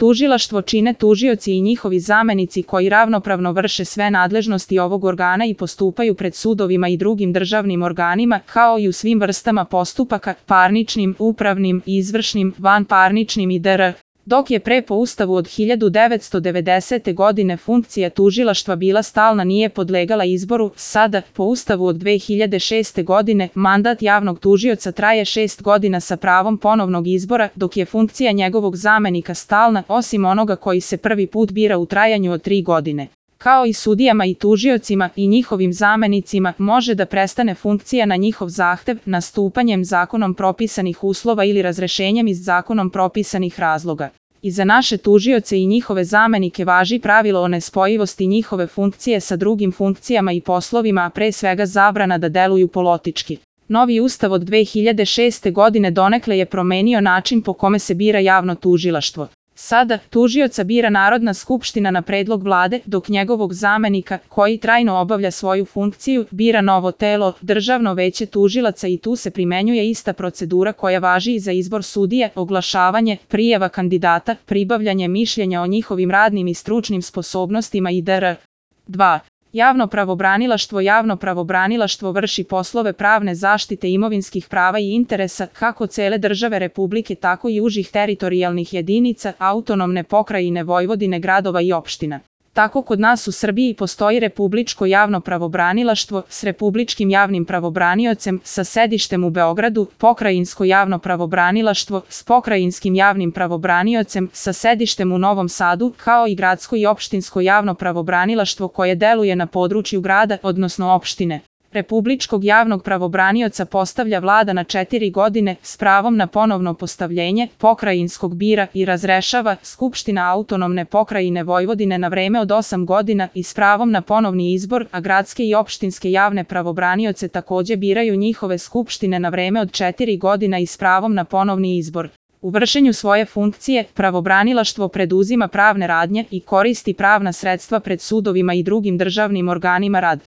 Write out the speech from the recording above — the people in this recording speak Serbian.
Tužilaštvo čine tužioci i njihovi zamenici koji ravnopravno vrše sve nadležnosti ovog organa i postupaju pred sudovima i drugim državnim organima, kao i u svim vrstama postupaka, parničnim, upravnim, izvršnim, vanparničnim i dr. Dok je pre po Ustavu od 1990. godine funkcija tužilaštva bila stalna, nije podlegala izboru, sada, po Ustavu od 2006. godine, mandat javnog tužioca traje 6 godina sa pravom ponovnog izbora, dok je funkcija njegovog zamenika stalna, osim onoga koji se prvi put bira u trajanju od 3 godine. Kao i sudijama i tužiocima i njihovim zamenicima, može da prestane funkcija na njihov zahtev, nastupanjem zakonom propisanih uslova ili razrešenjem iz zakonom propisanih razloga. I za naše tužioce i njihove zamenike važi pravilo o nespojivosti njihove funkcije sa drugim funkcijama i poslovima, a pre svega zabrana da deluju politički. Novi Ustav od 2006. godine donekle je promenio način po kome se bira javno tužilaštvo. Sada, tužioca bira Narodna skupština na predlog vlade, dok njegovog zamenika, koji trajno obavlja svoju funkciju, bira novo telo, Državno veće tužilaca, i tu se primenjuje ista procedura koja važi i za izbor sudije, oglašavanje, prijava kandidata, pribavljanje mišljenja o njihovim radnim i stručnim sposobnostima i dr. 2. Javno pravobranilaštvo vrši poslove pravne zaštite imovinskih prava i interesa kako cele države Republike, tako i užih teritorijalnih jedinica, autonomne pokrajine Vojvodine, gradova i opština. Tako kod nas u Srbiji postoji Republičko javno pravobranilaštvo s republičkim javnim pravobraniocem sa sedištem u Beogradu, Pokrajinsko javno pravobranilaštvo s pokrajinskim javnim pravobraniocem sa sedištem u Novom Sadu, kao i gradsko i opštinsko javno pravobranilaštvo koje deluje na području grada, odnosno opštine. Republičkog javnog pravobranioca postavlja vlada na 4 godine s pravom na ponovno postavljenje, pokrajinskog bira i razrešava Skupština autonomne pokrajine Vojvodine na vreme od 8 godina i s pravom na ponovni izbor, a gradske i opštinske javne pravobranioce takođe biraju njihove skupštine na vreme od 4 godina i s pravom na ponovni izbor. U vršenju svoje funkcije, pravobranilaštvo preduzima pravne radnje i koristi pravna sredstva pred sudovima i drugim državnim organima rad.